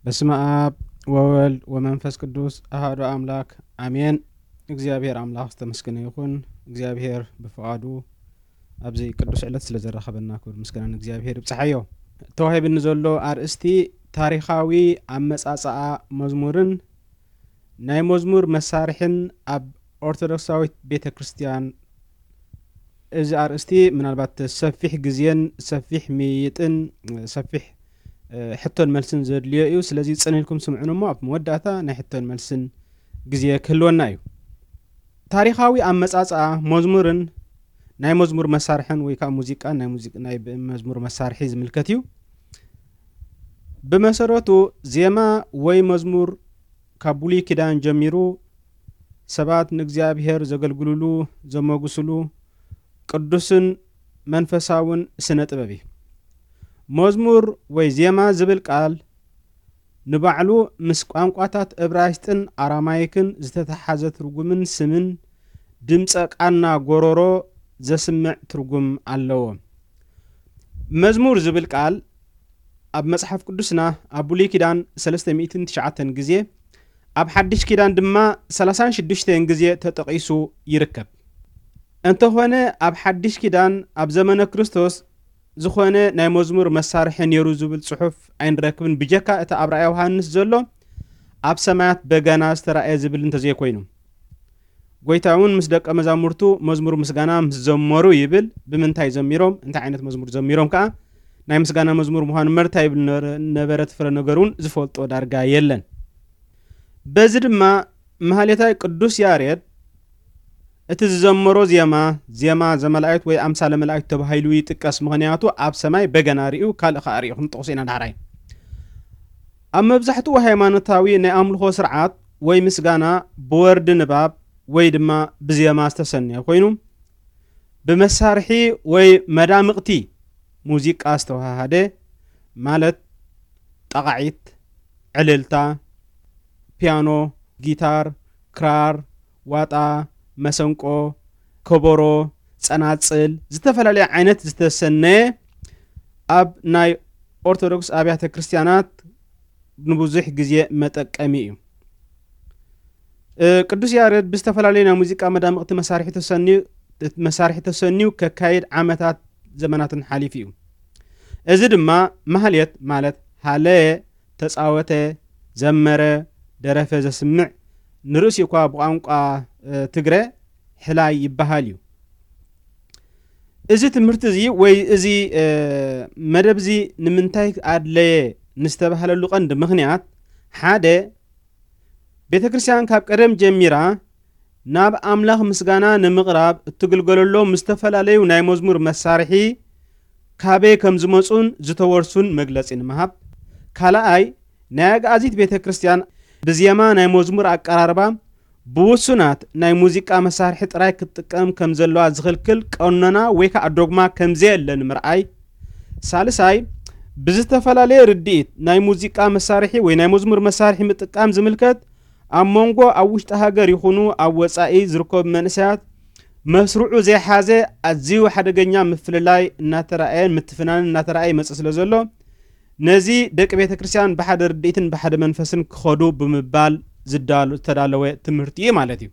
በስመ ኣብ ወወልድ ወመንፈስ ቅዱስ ኣሃዱ ኣምላክ ኣሜን። እግዚኣብሔር ኣምላኽ ዝተመስገነ ይኹን። እግዚኣብሔር ብፍቓዱ ኣብዚ ቅዱስ ዕለት ስለ ዘራኸበና ክብሪ ምስጋና ንእግዚኣብሔር ይብጽሓዮ። ተዋሂብኒ ዘሎ ኣርእስቲ ታሪኻዊ ኣመጻጽኣ መዝሙርን ናይ መዝሙር መሳርሕን ኣብ ኦርቶዶክሳዊት ቤተ ክርስቲያን። እዚ ኣርእስቲ ምናልባት ሰፊሕ ግዜን ሰፊሕ ምይይጥን ሰፊሕ ሕቶን መልስን ዘድልዮ እዩ። ስለዚ ጽን ኢልኩም ስምዑን እሞ ኣብ መወዳእታ ናይ ሕቶን መልስን ግዜ ክህልወና እዩ። ታሪኻዊ ኣመጻጽኣ መዝሙርን ናይ መዝሙር መሳርሕን ወይ ከዓ ሙዚቃን ናይ ሙዚቅ ናይ መዝሙር መሳርሒ ዝምልከት እዩ። ብመሰረቱ ዜማ ወይ መዝሙር ካብ ብሉይ ኪዳን ጀሚሩ ሰባት ንእግዚኣብሔር ዘገልግሉሉ፣ ዘመጉስሉ ቅዱስን መንፈሳውን ስነ ጥበብ እዩ። መዝሙር ወይ ዜማ ዝብል ቃል ንባዕሉ ምስ ቋንቋታት እብራይስጥን ኣራማይክን ዝተተሓዘ ትርጉምን ስምን ድምፀ ቃና ጎሮሮ ዘስምዕ ትርጉም ኣለዎ። መዝሙር ዝብል ቃል ኣብ መጽሓፍ ቅዱስና ኣብ ብሉይ ኪዳን ሰለስተ ሚእትን ትሽዓተን ግዜ፣ ኣብ ሓድሽ ኪዳን ድማ ሰላሳን ሽዱሽተን ግዜ ተጠቒሱ ይርከብ። እንተኾነ ኣብ ሓድሽ ኪዳን ኣብ ዘመነ ክርስቶስ ዝኾነ ናይ መዝሙር መሳርሒ ነይሩ ዝብል ጽሑፍ ኣይንረክብን፣ ብጀካ እቲ ኣብ ራእየ ዮሃንስ ዘሎ ኣብ ሰማያት በገና ዝተራእየ ዝብል እንተዘይኮይኑ። ጎይታ እውን ምስ ደቀ መዛሙርቱ መዝሙር ምስጋና ምስ ዘመሩ ይብል። ብምንታይ ዘሚሮም? እንታይ ዓይነት መዝሙር ዘሚሮም ከኣ? ናይ ምስጋና መዝሙር ምዃኑ መርታ ይብል ነበረ። እቲ ፍረ ነገር እውን ዝፈልጦ ዳርጋ የለን። በዚ ድማ ማህሌታይ ቅዱስ ያሬድ እቲ ዝዘመሮ ዜማ፣ ዜማ ዘመላእክት ወይ ኣምሳለ መላእክት ተባሂሉ ይጥቀስ። ምኽንያቱ ኣብ ሰማይ በገና ርእዩ፣ ካልእ ከኣ ርእዩ። ክንጠቕሶ ኢና ዳሕራይ። ኣብ መብዛሕትኡ ሃይማኖታዊ ናይ ኣምልኾ ስርዓት ወይ ምስጋና ብወርዲ ንባብ ወይ ድማ ብዜማ ዝተሰነየ ኮይኑ፣ ብመሳርሒ ወይ መዳምቕቲ ሙዚቃ ዝተወሃሃደ፣ ማለት ጣቓዒት፣ ዕልልታ፣ ፒያኖ፣ ጊታር፣ ክራር፣ ዋጣ፣ መሰንቆ፣ ከበሮ፣ ጸናጽል፣ ዝተፈላለየ ዓይነት ዝተሰነየ ኣብ ናይ ኦርቶዶክስ ኣብያተ ክርስቲያናት ንብዙሕ ግዜ መጠቀሚ እዩ። እ፣ ቅዱስ ያሬድ ብዝተፈላለዩ ናይ ሙዚቃ መዳምቕቲ መሳርሒ ተሰንዩ፣ መሳርሒ ተሰንዩ ከካይድ ዓመታት ዘመናትን ሓሊፉ እዩ። እዚ ድማ ማህሌት ማለት ሃለየ፣ ተጻወተ፣ ዘመረ፣ ደረፈ ዘስምዕ ንርእሲ እኳ ብቋንቋ፣ እ፣ ትግረ ሕላይ ይበሃል እዩ። እዚ ትምህርቲ እዚ ወይ እዚ፣ እ፣ መደብ እዚ ንምንታይ ኣድለየ ንዝተባህለሉ ቀንዲ ምኽንያት፣ ሓደ፣ ቤተ ክርስቲያን ካብ ቀደም ጀሚራ ናብ ኣምላኽ ምስጋና ንምቕራብ እትግልገለሎም ዝተፈላለዩ ናይ መዝሙር መሳርሒ ካበይ ከም ዝመጹን ዝተወርሱን መግለጺ ንምሃብ። ካልኣይ፣ ናይ ኣግኣዚት ቤተ ክርስቲያን ብዜማ ናይ መዝሙር ኣቀራርባ ብውሱናት ናይ ሙዚቃ መሳርሒ ጥራይ ክትጥቀም ከም ዘለዋ ዝኽልክል ቀኖና ወይ ከዓ ዶግማ ከም ዘየለ ንምርኣይ። ሳልሳይ፣ ብዝተፈላለየ ርድኢት ናይ ሙዚቃ መሳርሒ ወይ ናይ መዝሙር መሳርሒ ምጥቃም ዝምልከት ኣብ መንጎ ኣብ ውሽጢ ሃገር ይኹኑ ኣብ ወጻኢ ዝርከቡ መንእሰያት መስርዑ ዘይሓዘ ኣዝዩ ሓደገኛ ምፍልላይ እናተራእየን ምትፍናንን እናተራእየ ይመጽእ ስለ ዘሎ፣ ነዚ ደቂ ቤተ ክርስቲያን ብሓደ ርድኢትን ብሓደ መንፈስን ክኸዱ ብምባል ዝዳሉ-፣ ዝተዳለወ ትምህርቲ እዩ ማለት እዩ።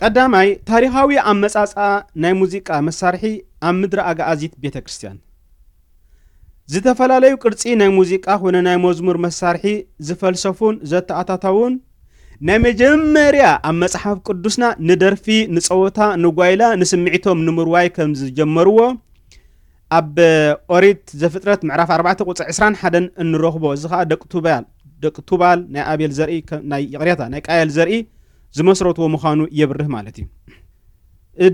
ቀዳማይ፣ ታሪኻዊ ኣመጻጽኣ ናይ ሙዚቃ መሳርሒ ኣብ ምድሪ ኣግኣዚት ቤተ ክርስቲያን። ዝተፈላለዩ ቅርጺ ናይ ሙዚቃ ኮነ ናይ መዝሙር መሳርሒ ዝፈልሰፉን ዘተኣታተውን ናይ መጀመርያ ኣብ መጽሓፍ ቅዱስና ንደርፊ፣ ንጸወታ፣ ንጓይላ፣ ንስምዒቶም ንምርዋይ ከም ዝጀመርዎ ኣብ ኦሪት ዘፍጥረት ምዕራፍ ኣርባዕተ ቁጽሪ ዕስራን ሓደን እንረኽቦ። እዚ ኸኣ ደቂ ቱባል፣ ደቂ ቱባል ናይ ኣቤል ዘርኢ ከ-፣ ናይ፣ ይቕሬታ፣ ናይ ቃየል ዘርኢ ዝመስረትዎ ምዃኑ የብርህ ማለት እዩ።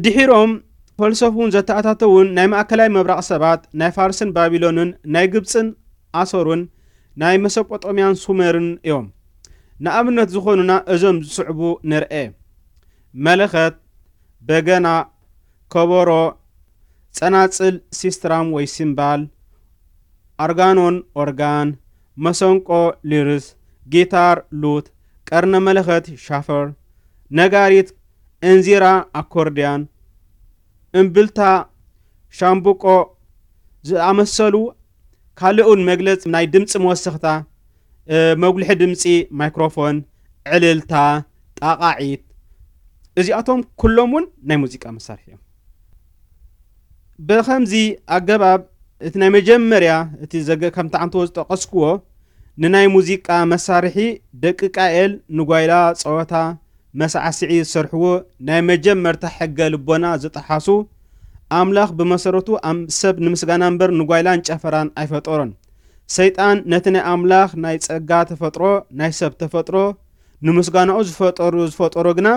ድሒሮም ፈልሰፉን ዘተኣታተውን ናይ ማእከላይ ምብራቕ ሰባት፣ ናይ ፋርስን ባቢሎንን፣ ናይ ግብጽን ኣሶርን፣ ናይ መሶጶጦምያን ሱሜርን እዮም። ንኣብነት ዝኾኑና እዞም ዝስዕቡ ንርኤ። መለኸት፣ በገና፣ ከበሮ፣ ጸናጽል፣ ሲስትራም ወይ ሲምባል፣ ኣርጋኖን፣ ኦርጋን፣ መሰንቆ፣ ሊርስ፣ ጊታር፣ ሉት፣ ቀርነ መለኸት፣ ሻፈር፣ ነጋሪት፣ እንዚራ፣ ኣኮርድያን፣ እምብልታ፣ ሻምብቆ ዝኣመሰሉ፣ ካልእ እውን መግለጺ ናይ ድምጺ መወሰኽታ፣ መጉልሒ ድምፂ፣ ማይክሮፎን፣ ዕልልታ፣ ጣቓዒት፣ እዚኣቶም ኩሎም እውን ናይ ሙዚቃ መሳርሒ እዮም። ብኸምዚ ኣገባብ እቲ ናይ መጀመርያ እቲ ዘገ ከምቲ ዓንተዎ ዝጠቐስክዎ ንናይ ሙዚቃ መሳርሒ ደቂ ቃኤል ንጓይላ ጸወታ መሳዕስዒ ዝሰርሕዎ ናይ መጀመርታ ሕገ ልቦና ዝጠሓሱ፣ ኣምላኽ ብመሰረቱ ኣም- ሰብ ንምስጋና እምበር ንጓይላን ጨፈራን ኣይፈጠሮን። ሰይጣን ነቲ ናይ ኣምላኽ ናይ ጸጋ ተፈጥሮ፣ ናይ ሰብ ተፈጥሮ ንምስጋናኡ ዝፈጠሩ ዝፈጠሮ ግና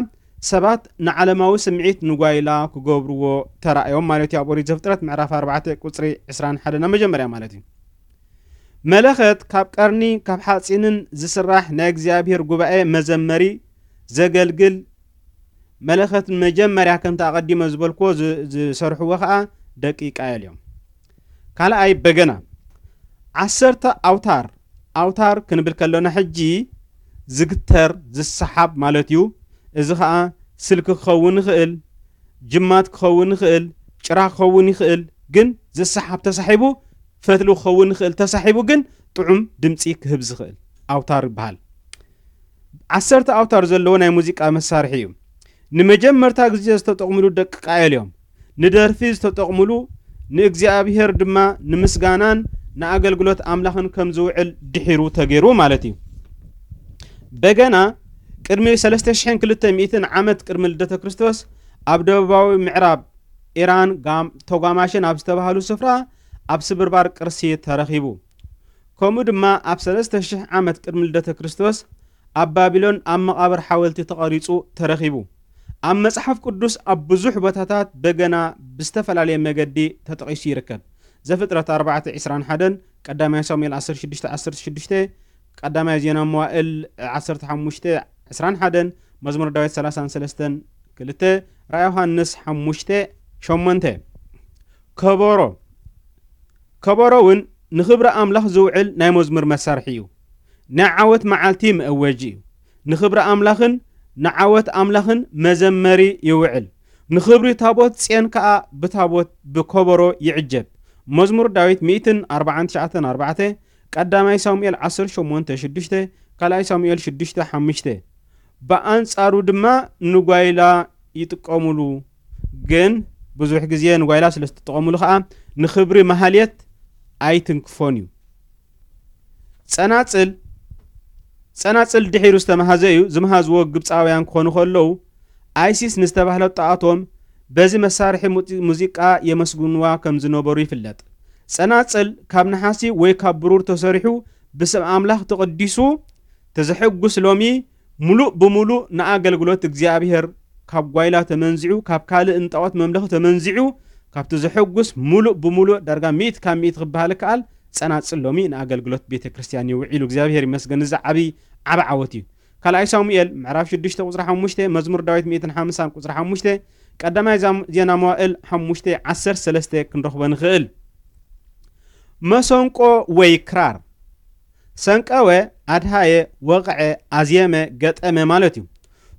ሰባት ንዓለማዊ ስምዒት ንጓይላ ክገብርዎ ተራእዮም ማለት እዩ። ኣብ ኦሪት ዘፍጥረት ምዕራፍ ኣርባዕተ ቁጽሪ ዕስራን ሓደን ኣብ መጀመርያ ማለት እዩ። መለኸት ካብ ቀርኒ ካብ ሓፂንን ዝስራሕ ናይ እግዚኣብሔር ጉባኤ መዘመሪ ዘገልግል መለኸት መጀመርያ ከምቲ ኣቐዲመ ዝበልክዎ ዝ- ዝሰርሕዎ ከዓ ደቂ ቃየል እዮም። ካልኣይ በገና ዓሰርተ ኣውታር፣ ኣውታር ክንብል ከለና ሕጂ ዝግተር ዝሰሓብ ማለት እዩ። እዚ ከዓ ስልኪ ክኸውን ይኽእል፣ ጅማት ክኸውን ይኽእል፣ ጭራ ክኸውን ይኽእል። ግን ዝሰሓብ ተሳሒቡ ፈትሊ ክኸውን ይኽእል፣ ተሳሒቡ ግን ጥዑም ድምፂ ክህብ ዝኽእል ኣውታር ይበሃል። ዓሰርተ ኣውታር ዘለዎ ናይ ሙዚቃ መሳርሒ እዩ። ንመጀመርታ ግዜ ዝተጠቕምሉ ደቂ ቃየል እዮም። ንደርፊ ዝተጠቕምሉ፣ ንእግዚኣብሔር ድማ ንምስጋናን ንኣገልግሎት ኣምላኽን ከም ዝውዕል ድሒሩ ተገይሩ ማለት እዩ። በገና ቅድሚ ሰለስተ ሽሕን ክልተ ሚእትን ዓመት ቅድሚ ልደተ ክርስቶስ ኣብ ደቡባዊ ምዕራብ ኢራን ጋም- ተጓማሸን ኣብ ዝተባህሉ ስፍራ ኣብ ስብርባር ቅርሲ ተረኺቡ። ከምኡ ድማ ኣብ ሰለስተ ሽሕ ዓመት ቅድሚ ልደተ ክርስቶስ ኣብ ባቢሎን ኣብ መቓብር ሓወልቲ ተቐሪጹ ተረኺቡ። ኣብ መጽሓፍ ቅዱስ ኣብ ብዙሕ ቦታታት በገና ብዝተፈላለየ መገዲ ተጠቒሱ ይርከብ። ዘፍጥረት ኣርባዕተ ዕስራን ሓደን፣ ቀዳማይ ሳሙኤል ዓሰርተ ሽዱሽተ ዓሰርተ ሽዱሽተ፣ ቀዳማይ ዜና መዋእል ዓሰርተ ሓሙሽተ ዕስራን ሓደን፣ መዝሙር ዳዊት ሰላሳን ሰለስተን ክልተ፣ ራእይ ዮሃንስ ሓሙሽተ ሸሞንተ። ከበሮ ከበሮ እውን ንኽብሪ ኣምላኽ ዝውዕል ናይ መዝሙር መሳርሒ እዩ። ናይ ዓወት መዓልቲ መእወጂ እዩ። ንኽብሪ ኣምላኽን ንዓወት ኣምላኽን መዘመሪ ይውዕል። ንኽብሪ ታቦት ጽዮን ከኣ ብታቦት ብከበሮ ይዕጀብ። መዝሙር ዳዊት ሚእትን ኣርባዓን ትሽዓተን ኣርባዕተ፣ ቀዳማይ ሳሙኤል ዓሰርተ ሸሞንተ ሽዱሽተ፣ ካልኣይ ሳሙኤል ሽዱሽተ ሓሙሽተ። ብኣንጻሩ ድማ ንጓይላ ይጥቀሙሉ። ግን ብዙሕ ግዜ ንጓይላ ስለ ዝተጠቐሙሉ ከኣ ንኽብሪ ማህሌት ኣይትንክፎን እዩ። ጸናጽል ጸናጽል ድሒሩ ዝተመሃዘ እዩ። ዝመሃዝዎ ግብጻውያን ክኾኑ ከለዉ ኣይሲስ ንዝተባህለት ጣኦቶም በዚ መሳርሒ ሙዚ- ሙዚቃ የመስግንዋ ከም ዝነበሩ ይፍለጥ። ጸናጽል ካብ ነሓሲ ወይ ካብ ብሩር ተሰሪሑ ብስም ኣምላኽ ተቐዲሱ ተዘሐጉስ ሎሚ ሙሉእ ብሙሉእ ንኣገልግሎት እግዚኣብሔር ካብ ጓይላ ተመንዚዑ፣ ካብ ካልእ ንጣዖት መምለኺ ተመንዚዑ፣ ካብቲ ዘሐጉስ ሙሉእ ብሙሉእ ዳርጋ ሚእቲ ካብ ሚእቲ ክበሃል ይከኣል፣ ጸናጽል ሎሚ ንኣገልግሎት ቤተ ክርስቲያን ይውዒሉ። እግዚኣብሔር ይመስገን። እዚ ዓቢ ዓቢ ዓወት እዩ። ካልኣይ ሳሙኤል ምዕራፍ ሽዱሽተ ቁጽሪ ሓሙሽተ፣ መዝሙር ዳዊት ሚእትን ሓምሳን ቁጽሪ ሓሙሽተ፣ ቀዳማይ ዛም- ዜና መዋእል ሓሙሽተ ዓሰርተ ሰለስተ ክንረኽቦ ንኽእል። መሰንቆ ወይ ክራር ሰንቀወ፣ ኣድሃየ፣ ወቕዐ፣ ኣዝየመ፣ ገጠመ ማለት እዩ።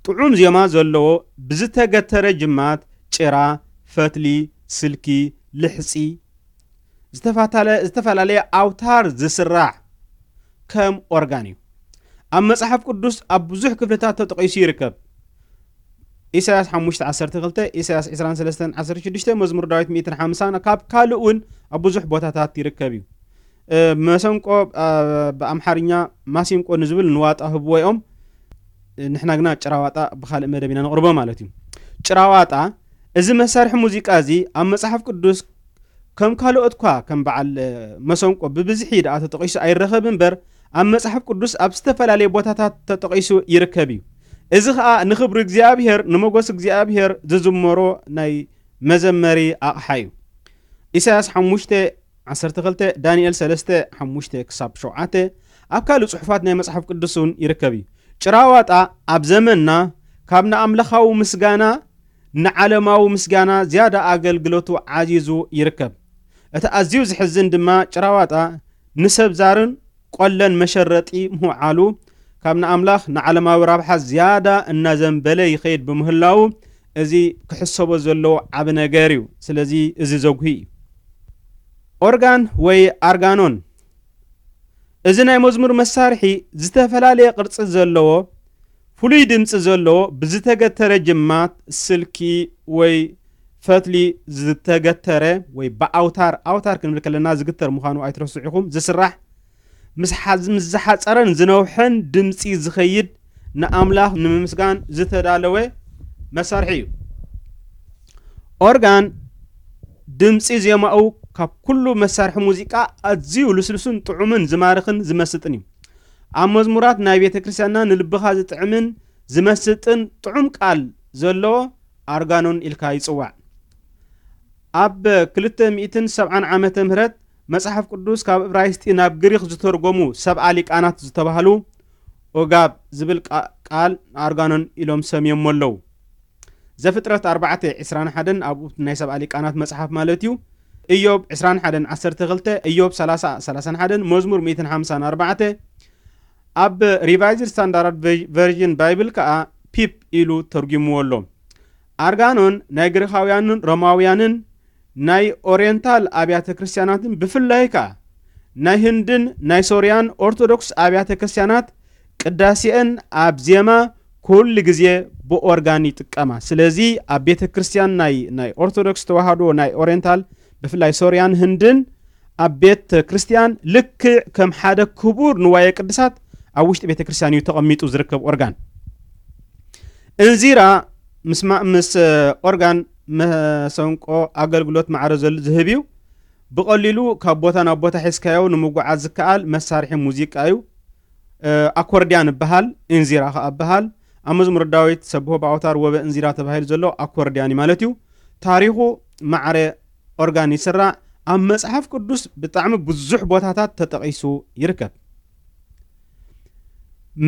ጥዑም ዜማ ዘለዎ ብዝተገተረ ጅማት፣ ጭራ፣ ፈትሊ፣ ስልኪ፣ ልሕጺ፣ ዝተፋታለ- ዝተፈላለየ ኣውታር ዝስራሕ ከም ኦርጋን እዩ። ኣብ መጽሓፍ ቅዱስ ኣብ ብዙሕ ክፍልታት ተጠቒሱ ይርከብ። ኢሳያስ ሓሙሽተ ዓሰርተ ክልተ፣ ኢሳያስ ዕስራን ሰለስተን ዓሰርተ ሽዱሽተ፣ መዝሙር ዳዊት ሚእትን ሓምሳን፣ ካብ ካልእ እውን ኣብ ብዙሕ ቦታታት ይርከብ እዩ። እ፣ መሰንቆ፣ እ፣ ብኣምሓርኛ ማሲንቆ ንዝብል ንዋጣ ህብዎ እዮም። እ፣ ንሕና ግና ጭራዋጣ ብኻልእ መደብ ኢና ነቕርቦ ማለት እዩ። ጭራዋጣ፣ እዚ መሳርሒ ሙዚቃ እዚ ኣብ መጽሓፍ ቅዱስ ከም ካልኦት እኳ ከም በዓል፣ እ፣ መሰንቆ ብብዝሒ ደኣ ተጠቒሱ ኣይረኸብ እምበር፣ ኣብ መጽሓፍ ቅዱስ ኣብ ዝተፈላለየ ቦታታት ተጠቒሱ ይርከብ እዩ። እዚ ኸኣ ንኽብሪ እግዚኣብሔር፣ ንመጎስ እግዚኣብሔር ዝዝመሮ ናይ መዘመሪ ኣቕሓ እዩ። ኢሳያስ ሓሙሽተ ዓሰርተ ክልተ፣ ዳንኤል ሰለስተ፣ ሓሙሽተ ክሳብ ሸውዓተ፣ ኣብ ካልእ ጽሑፋት ናይ መጽሓፍ ቅዱስ እውን ይርከብ እዩ። ጭራዋጣ ኣብ ዘመንና ካብ ንኣምላኻዊ ምስጋና ንዓለማዊ ምስጋና ዝያዳ ኣገልግሎቱ ዓዚዙ ይርከብ። እቲ ኣዝዩ ዝሕዝን ድማ ጭራዋጣ ንሰብ ዛርን ቆለን መሸረጢ ምውዓሉ ካብ ንኣምላኽ ንዓለማዊ ረብሓ ዝያዳ እናዘንበለ ይኸይድ ብምህላዉ እዚ ክሕሰቦ ዘለዎ ዓቢ ነገር እዩ። ስለዚ እዚ ዘጉሂ እዩ። ኦርጋን ወይ ኣርጋኖን እዚ ናይ መዝሙር መሳርሒ ዝተፈላለየ ቅርጺ ዘለዎ፣ ፍሉይ ድምጺ ዘለዎ፣ ብዝተገተረ ጅማት፣ ስልኪ ወይ ፈትሊ ዝተገተረ ወይ ብኣውታር፣ ኣውታር ክንብል ከለና ዝግተር ምዃኑ ኣይትረስዑ ኢኹም፣ ዝስራሕ ምስ ሓዝ-፣ ምስ ዝሓጸረን ዝነውሐን ድምጺ ዝኸይድ ንኣምላኽ ንምምስጋን ዝተዳለወ መሳርሒ እዩ። ኦርጋን ድምጺ ዜማኡ ካብ ኩሉ መሳርሒ ሙዚቃ ኣዝዩ ልስሉስን ጥዑምን ዝማርኽን ዝመስጥን እዩ። ኣብ መዝሙራት ናይ ቤተ ክርስቲያንና ንልብኻ ዝጥዕምን ዝመስጥን ጥዑም ቃል ዘለዎ ኣርጋኖን ኢልካ ይጽዋዕ። ኣብ ክልተ ሚእትን ሰብዓን ዓመተ ምህረት መጽሓፍ ቅዱስ ካብ እብራይስጢ ናብ ግሪኽ ዝተርጎሙ ሰብዓ ሊቃናት ዝተባህሉ ኦጋብ ዝብል ቃ-፣ ቃል ንኣርጋኖን ኢሎም ሰምዮሞ ኣለዉ። ዘፍጥረት ኣርባዕተ ዕስራን ሓደን ኣብኡ ናይ ሰብዓ ሊቃናት መጽሓፍ ማለት እዩ። ኢዮብ ዕስራን ሓደን ዓሰርተ ክልተ፣ ኢዮብ ሰላሳ ሰላሳን ሓደን፣ መዝሙር ሚእትን ሓምሳን ኣርባዕተ፣ ኣብ ሪቫይዝድ ስታንዳርድ ቨ-፣ ቨርዥን ባይብል ከኣ ፒፕ ኢሉ ተርጉምዎ ኣሎ። ኣርጋኖን ናይ ግሪኻውያንን ሮማውያንን ናይ ኦርየንታል ኣብያተ ክርስቲያናትን ብፍላይ ከኣ ናይ ህንድን ናይ ሶርያን ኦርቶዶክስ ኣብያተ ክርስቲያናት ቅዳሴአን ኣብ ዜማ ኩሉ ግዜ ብኦርጋን ይጥቀማ። ስለዚ ኣብ ቤተ ክርስቲያን ናይ፣ ናይ ኦርቶዶክስ ተዋህዶ ናይ ኦርየንታል ብፍላይ ሶርያን ህንድን ኣብ ቤተ ክርስቲያን ልክዕ ከም ሓደ ክቡር ንዋየ ቅድሳት ኣብ ውሽጢ ቤተ ክርስቲያን እዩ ተቐሚጡ ዝርከብ ኦርጋን። እንዚራ ምስ ማ-፣ ምስ ኦርጋን መሰንቆ ኣገልግሎት ማዕረ ዘሉ ዝህብ እዩ። ብቐሊሉ ካብ ቦታ ናብ ቦታ ሒዝካዮ ንምጉዓዝ ዝከኣል መሳርሒ ሙዚቃ እዩ። እ፣ ኣኮርድያን ይበሃል፣ እንዚራ ኸኣ ይበሃል። ኣብ መዝሙር ዳዊት ሰብሖ ብኣውታር ወበ እንዚራ ተባሂሉ ዘሎ ኣኮርድያን እዩ ማለት እዩ። ታሪኹ ማዕረ ኦርጋን ይስራዕ። ኣብ መጽሓፍ ቅዱስ ብጣዕሚ ብዙሕ ቦታታት ተጠቒሱ ይርከብ።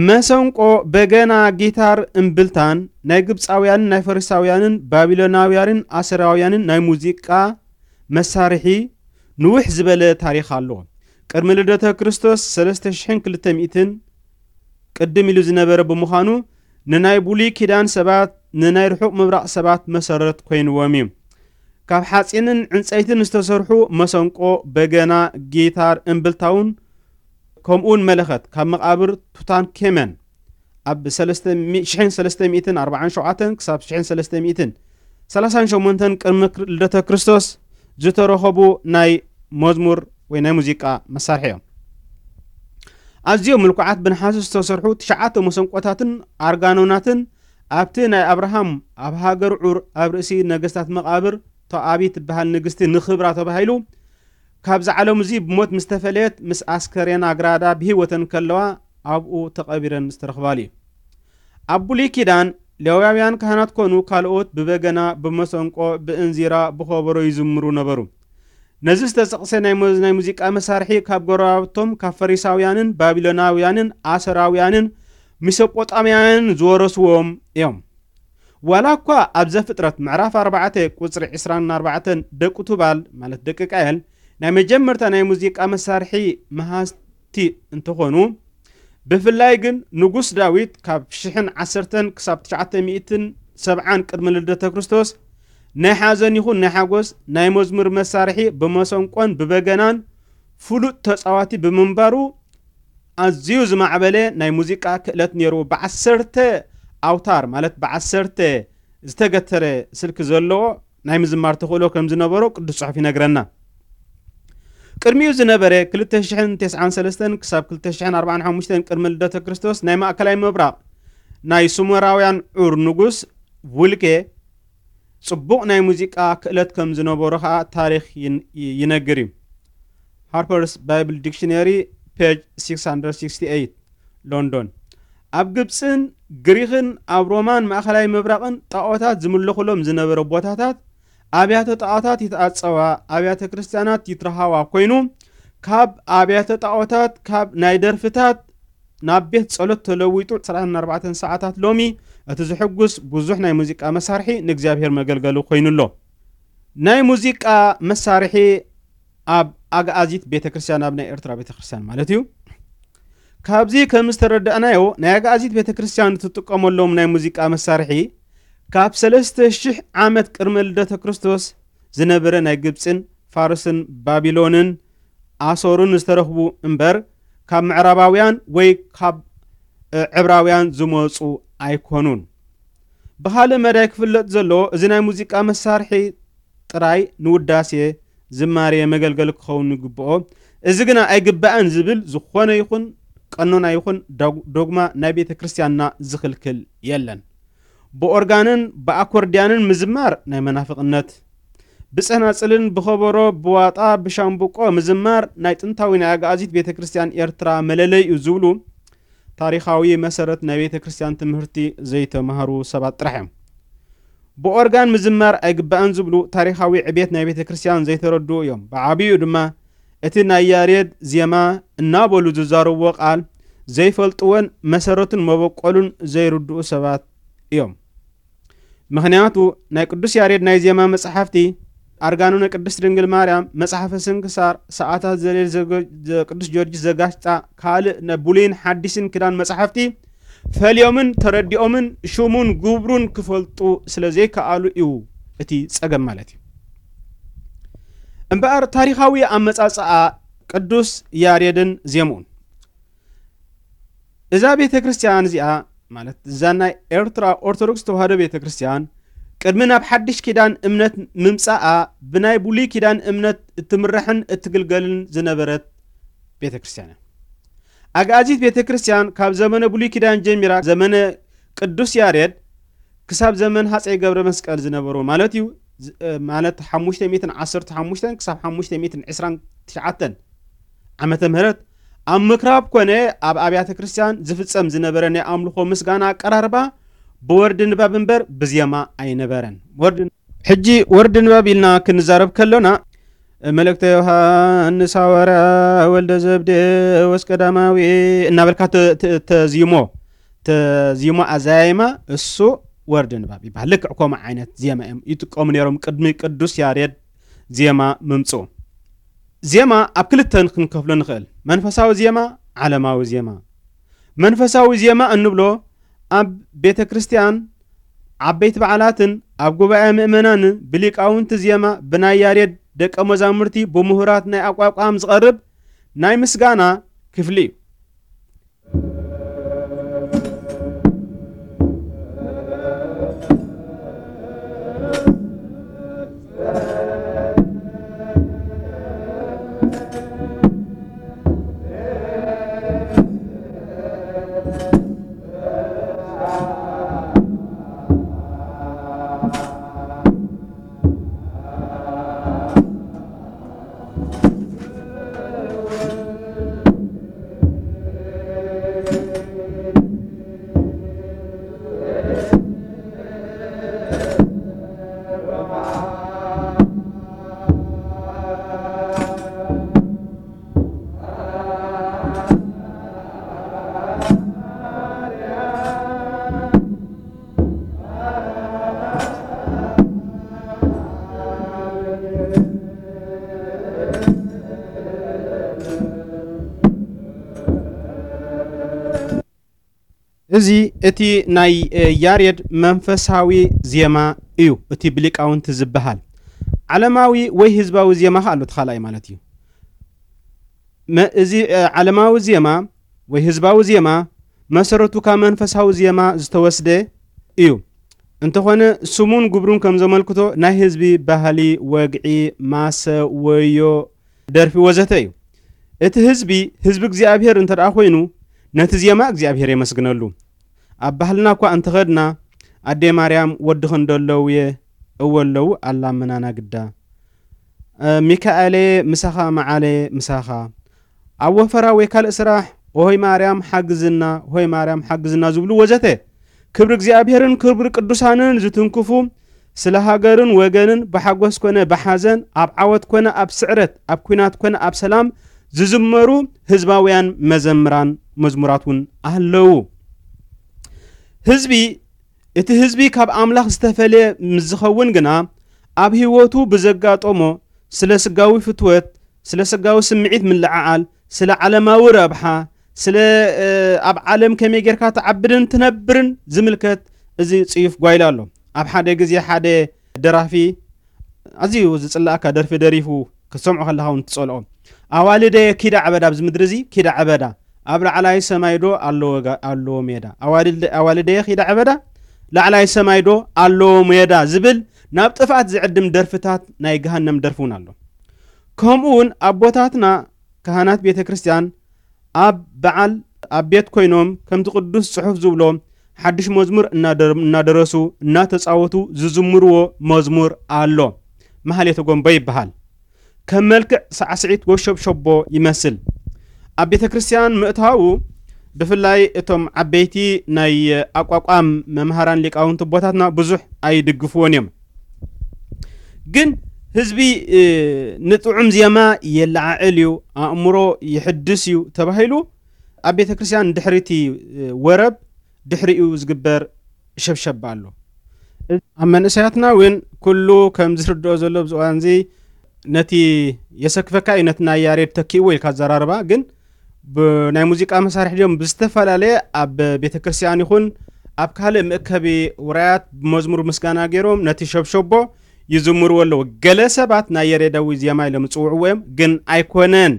መሰንቆ፣ በገና፣ ጊታር፣ እምብልታን ናይ ግብጻውያንን ናይ ፈሪሳውያንን ባቢሎናውያንን ኣሰራውያንን ናይ ሙዚቃ መሳርሒ ንውሕ ዝበለ ታሪኽ ኣለዎ። ቅድሚ ልደተ ክርስቶስ ሰለስተ ሽሕን ክልተ ሚእትን ቅድም ኢሉ ዝነበረ ብምዃኑ፣ ንናይ ብሉይ ኪዳን ሰባት፣ ንናይ ርሑቕ ምብራቕ ሰባት መሰረት ኮይንዎም እዩ። ካብ ሓጺንን ዕንጸይትን ዝተሰርሑ መሰንቆ፣ በገና፣ ጊታር፣ እምብልታውን ከምኡውን መለኸት ካብ መቓብር ቱታንኬመን ኣብ ሰለስተ ሚእቲ፣ ሽሕን ሰለስተ ሚእትን ኣርባዓን ሸውዓተን ክሳብ ሽሕን ሰለስተ ሚእትን ሰላሳን ሸሞንተን ቅድሚ ክር-፣ ልደተ ክርስቶስ ዝተረኸቡ ናይ መዝሙር ወይ ናይ ሙዚቃ መሳርሒ እዮም። ኣዝዮም ምልኩዓት ብነሓስ ዝተሰርሑ ትሽዓተ መሰንቆታትን ኣርጋኖናትን ኣብቲ ናይ ኣብርሃም ኣብ ሃገር ዑር ኣብ ርእሲ ነገስታት መቓብር ቶኣቢ ትበሃል ንግስቲ ንኽብራ ተባሂሉ ካብዚ ዓለም እዚ ብሞት ምስ ተፈለየት፣ ምስ ኣስከሬና ኣግራዳ ብህይወተን ከለዋ ኣብኡ ተቐቢረን ዝተረኽባሉ እዩ። ኣብ ብሉይ ኪዳን፣ ሌዋውያን ካህናት ኮኑ ካልኦት ብበገና፣ ብመሰንቆ፣ ብእንዚራ፣ ብኸበሮ ይዝምሩ ነበሩ። ነዚ ዝተጠቕሰ ናይ መ-፣ ናይ ሙዚቃ መሳርሒ ካብ ጎረባብቶም፣ ካብ ፈሪሳውያንን ባቢሎናውያንን ኣሰራውያንን ሚሶጶጣምያውያንን ዝወረስዎም እዮም። ዋላ እኳ ኣብ ዘፍጥረት ምዕራፍ ኣርባዕተ ቁጽሪ ዕስራን ኣርባዕተን ደቂ ቱባል፣ ማለት ደቂ ቃየል፣ ናይ መጀመርታ ናይ ሙዚቃ መሳርሒ መሃዝቲ እንተኾኑ፣ ብፍላይ ግን ንጉስ ዳዊት ካብ ሽሕን ዓሰርተን ክሳብ ትሽዓተ ሚእትን ሰብዓን ቅድሚ ልደተ ክርስቶስ ናይ ሓዘን ይኹን ናይ ሓጎስ፣ ናይ መዝሙር መሳርሒ ብመሰንቆን ብበገናን ፍሉጥ ተጻዋቲ ብምንባሩ፣ ኣዝዩ ዝማዕበለ ናይ ሙዚቃ ክእለት ነይሩ። ብዓሰርተ ኣውታር፣ ማለት ብዓሰርተ ዝተገተረ ስልኪ ዘለዎ ናይ ምዝማር ተኽእሎ ከም ዝነበሮ ቅዱስ ጽሑፍ ይነግረና። ቅድሚኡ ዝነበረ ክልተ ሽሕን ተስዓን ሰለስተን ክሳብ ክልተ ሽሕን ኣርባዓን ሓሙሽተን ቅድሚ ልደተ ክርስቶስ ናይ ማእከላይ ምብራቕ ናይ ሱመራውያን ዑር ንጉስ ቡልጌ ጽቡቕ ናይ ሙዚቃ ክእለት ከም ዝነበሮ ኸኣ ታሪኽ ይን-፣ ይ-፣ ይነግር እዩ። ሃርፐርስ ባይብል ዲክሽነሪ፣ ፔጅ ሲክስ ሃንድረድ ሲክስቲ ኤይት፣ ሎንዶን። ኣብ ግብጽን ግሪኽን ኣብ ሮማን ማእከላይ ምብራቕን ጣኦታት ዝምለኹሎም ዝነበረ ቦታታት ኣብያተ ጣኦታት ይተኣጸዋ፣ ኣብያተ ክርስቲያናት ይትረሃዋ ኮይኑ፣ ካብ ኣብያተ ጣኦታት፣ ካብ ናይ ደርፍታት ናብ ቤት ጸሎት ተለዊጡ ዕስራን ኣርባዕተን ሰዓታት ሎሚ እቲ ዝሕጉስ ብዙሕ ናይ ሙዚቃ መሳርሒ ንእግዚኣብሔር መገልገሊ ኮይኑ ኣሎ። ናይ ሙዚቃ መሳርሒ ኣብ ኣግኣዚት ቤተ ክርስቲያን፣ ኣብ ናይ ኤርትራ ቤተ ክርስቲያን ማለት እዩ። ካብዚ ከም ዝተረዳእናዮ፣ ናይ ኣግኣዚት ቤተ ክርስቲያን እትጥቀመሎም ናይ ሙዚቃ መሳርሒ ካብ ሰለስተ ሽሕ ዓመት ቅድመ ልደተ ክርስቶስ ዝነበረ ናይ ግብጽን ፋርስን ባቢሎንን ኣሶርን ዝተረኽቡ እምበር፣ ካብ ምዕራባውያን ወይ ካብ ዕብራውያን ዝመፁ ኣይኮኑን። ብኻልእ መዳይ ክፍለጥ ዘለዎ፣ እዚ ናይ ሙዚቃ መሳርሒ ጥራይ ንውዳሴ ዝማሬ መገልገሊ ክኸውን ይግብኦ፣ እዚ ግና ኣይግባእን ዝብል ዝኾነ ይኹን ቀኖና ይኹን ዶግማ ናይ ቤተ ክርስቲያንና ዝኽልክል የለን። ብኦርጋንን ብኣኮርድያንን ምዝማር ናይ መናፍቕነት፣ ብጸናጽልን ብኸበሮ ብዋጣ ብሻምብቆ ምዝማር ናይ ጥንታዊ ናይ ኣግኣዚት ቤተ ክርስቲያን ኤርትራ መለለይ እዩ ዝብሉ ታሪኻዊ መሰረት ናይ ቤተ ክርስቲያን ትምህርቲ ዘይተማህሩ ሰባት ጥራሕ እዮም። ብኦርጋን ምዝማር ኣይግባእን ዝብሉ ታሪኻዊ ዕቤት ናይ ቤተ ክርስቲያን ዘይተረድኡ እዮም። ብዓብዩ ድማ እቲ ናይ ያሬድ ዜማ እናበሉ ዝዛረብዎ ቃል ዘይፈልጥዎን መሰረቱን መበቆሉን ዘይርድኡ ሰባት እዮም። ምኽንያቱ ናይ ቅዱስ ያሬድ ናይ ዜማ መጽሓፍቲ፣ ኣርጋኖ ናይ ቅድስት ድንግል ማርያም፣ መጽሓፈ ስንክሳር፣ ሰዓታት ዘሌል ዘገ-፣ ዘ-፣ ቅዱስ ጊዮርጊስ ዘጋሽጣ፣ ካልእ ናይ ብሉይን ሓዲስን ኪዳን መጽሓፍቲ ፈልዮምን ተረዲኦምን ሽሙን ግብሩን ክፈልጡ ስለ ዘይከኣሉ እዩ እቲ ጸገም ማለት እዩ። እምበኣር ታሪኻዊ ኣመጻጽኣ ቅዱስ ያሬድን ዜምኡን፣ እዛ ቤተ ክርስቲያን እዚኣ ማለት እዛ ናይ ኤርትራ ኦርቶዶክስ ተዋህዶ ቤተ ክርስቲያን ቅድሚ ናብ ሓድሽ ኪዳን እምነት ምምጻኣ ብናይ ብሉይ ኪዳን እምነት እትምራሕን እትግልገልን ዝነበረት ቤተ ክርስቲያን እያ። ኣግኣዚት ቤተ ክርስቲያን ካብ ዘመነ ብሉይ ኪዳን ጀሚራ ዘመነ ቅዱስ ያሬድ ክሳብ ዘመን ሃፀይ ገብረ መስቀል ዝነበሩ ማለት እዩ። ዝ-፣ እ፣ ማለት ሓሙሽተ ሚእትን ዓሰርተ ሓሙሽተን ክሳብ ሓሙሽተ ሚእትን ዕስራን ትሽዓተን ዓመተ ምህረት ኣብ ምክራብ ኮነ ኣብ ኣብያተ ክርስቲያን ዝፍጸም ዝነበረ ናይ ኣምልኾ ምስጋና ኣቀራርባ ብወርዲ ንባብ እምበር ብዜማ ኣይነበረን። ወርዲ፣ ሕጂ ወርዲ ንባብ ኢልና ክንዛረብ ከሎና፣ መልእክተ ዮሃንስ ሃዋርያ ወልደ ዘብዴዎስ ቀዳማዊ እናበልካ ተ-፣ ተ-፣ ተዚሞ፣ ተዚሞ ኣዘያይማ እሱ ወርዲ ንባብ ይበሃል። ልክዕ ከምኡ ዓይነት ዜማ እዮም ይጥቀሙ ነይሮም ቅድሚ ቅዱስ ያሬድ ዜማ ምምጽኡ። ዜማ ኣብ ክልተ ክንከፍሎ ንኽእል። መንፈሳዊ ዜማ፣ ዓለማዊ ዜማ። መንፈሳዊ ዜማ እንብሎ ኣብ ቤተ ክርስቲያን ዓበይቲ በዓላትን ኣብ ጉባኤ ምእመናን ብሊቃውንቲ ዜማ ብናይ ያሬድ ደቀ መዛሙርቲ ብምሁራት ናይ ኣቋቋም ዝቐርብ ናይ ምስጋና ክፍሊ እዩ። እዚ እቲ ናይ፣ እ፣ ያሬድ መንፈሳዊ ዜማ እዩ፣ እቲ ብሊቃውንቲ ዝበሃል። ዓለማዊ ወይ ህዝባዊ ዜማ ከኣ ኣሎ፣ እቲ ካልኣይ ማለት እዩ። መ-፣ እዚ፣ እ፣ ዓለማዊ ዜማ ወይ ህዝባዊ ዜማ መሰረቱ ካብ መንፈሳዊ ዜማ ዝተወስደ እዩ። እንተኾነ ስሙን ግብሩን ከም ዘመልክቶ ናይ ህዝቢ ባህሊ፣ ወግዒ፣ ማሰ፣ ወዮ፣ ደርፊ ወዘተ እዩ። እቲ ህዝቢ፣ ህዝቢ እግዚኣብሔር እንተ ደኣ ኮይኑ፣ ነቲ ዜማ እግዚኣብሔር የመስግነሉ። ኣብ ባህልና እኳ እንተኸድና፣ ኣደይ ማርያም ወድኺ እንዶ ኣለውየ፣ እወ ኣለዉ፣ ኣላምናና ግዳ። እ፣ ሚካኤለየ ምሳኻ፣ መዓለየ ምሳኻ። ኣብ ወፈራ ወይ ካልእ ስራሕ፣ ሆይ ማርያም ሓግዝና፣ ሆይ ማርያም ሓግዝና ዝብሉ ወዘተ። ክብሪ እግዚኣብሔርን ክብሪ ቅዱሳንን ዝትንክፉ፣ ስለ ሃገርን ወገንን ብሓጎስ ኮነ ብሓዘን፣ ኣብ ዓወት ኮነ ኣብ ስዕረት፣ ኣብ ኲናት ኮነ ኣብ ሰላም ዝዝመሩ ህዝባውያን መዘምራን መዝሙራት እውን ኣለዉ። ህዝቢ፣ እቲ ህዝቢ ካብ ኣምላኽ ዝተፈልየ ምስ ዝኸውን ግና፣ ኣብ ህይወቱ ብዘጋጠሞ ስለ ስጋዊ ፍትወት፣ ስለ ስጋዊ ስምዒት ምልዕዓል፣ ስለ ዓለማዊ ረብሓ፣ ስለ፣ እ፣ ኣብ ዓለም ከመይ ጌርካ ትዓብድን ትነብርን ዝምልከት እዚ ጽዩፍ ጓይላ ኣሎ። ኣብ ሓደ ግዜ ሓደ ደራፊ ኣዝዩ ዝጽላኣካ ደርፊ ደሪፉ ክትሰምዖ ከለኻ እውን ትጸልኦ። ኣዋልደየ ኪዳ ዕበዳ፣ ኣብዚ ምድሪ እዚ ኪዳ ዕበዳ፣ ኣብ ላዕላይ ሰማይ ዶ ኣለዎ ጋ-፣ ኣለዎ ሜዳ? ኣዋልደ-፣ ኣዋልደየ ኪዳ ዕበዳ፣ ላዕላይ ሰማይ ዶ ኣለዎ ሜዳ ዝብል ናብ ጥፍኣት ዝዕድም ደርፍታት ናይ ገሃነም ደርፊ እውን ኣሎ። ከምኡ እውን ኣቦታትና ካህናት ቤተ ክርስቲያን ኣብ በዓል ኣብ ቤት ኮይኖም ከምቲ ቅዱስ ጽሑፍ ዝብሎ ሓድሽ መዝሙር እናደር-፣ እናደረሱ እናተጻወቱ ዝዝምርዎ መዝሙር ኣሎ። ማህሌተ ጎንቦ ይበሃል። ከም መልክዕ ሳዕስዒት ጎሸብሸቦ ይመስል። ኣብ ቤተ ክርስቲያን ምእታዉ ብፍላይ እቶም ዓበይቲ ናይ ኣቋቋም መምሃራን ሊቃውንቲ ኣቦታትና ብዙሕ ኣይድግፍዎን እዮም። ግን ህዝቢ፣ እ፣ ንጥዑም ዜማ የለዓዕል እዩ፣ ኣእምሮ ይሕድስ እዩ ተባሂሉ ኣብ ቤተ ክርስቲያን ድሕሪቲ፣ እ፣ ወረብ ድሕሪኡ ዝግበር ሸብሸብ ኣሎ። ኣብ መንእሰያትና እውን ኩሉ ከም ዝርድኦ ዘሎ ኣብዚ እዋን እዚ ነቲ የሰክፈካ እዩ፣ ነቲ ናይ ያሬድ ተኪእዎ ኢልካ ኣዘራርባ፣ ግን ብናይ ሙዚቃ መሳርሒ ድዮም ብዝተፈላለየ ኣብ ቤተ ክርስቲያን ይኹን ኣብ ካልእ መእከቢ ውራያት ብመዝሙር ምስጋና ገይሮም ነቲ ሸብሸቦ ይዝምርዎ ኣለዉ። ገለ ሰባት ናይ ያሬዳዊ ዜማ ኢሎም ዝጽውዕዎ እዮም፣ ግን ኣይኮነን።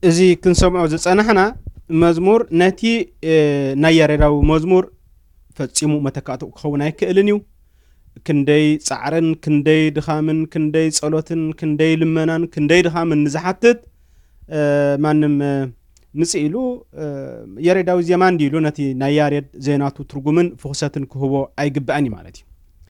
እዚ ክንሰምዖ ዝጸናሕና መዝሙር ነቲ፣ እ፣ ናይ ያሬዳዊ መዝሙር ፈጺሙ መተካእትኡ ክኸውን ኣይክእልን እዩ። ክንደይ ጻዕርን ክንደይ ድኻምን ክንደይ ጸሎትን ክንደይ ልመናን ክንደይ ድኻምን ንዝሓትት፣ እ፣ ማንም፣ እ፣ ምጽእ ኢሉ፣ እ፣ ያሬዳዊ ዜማ እንዲ ኢሉ ነቲ ናይ ያሬድ ዘይናቱ ትርጉምን ፍኹሰትን ክህቦ ኣይግባእን እዩ ማለት እዩ።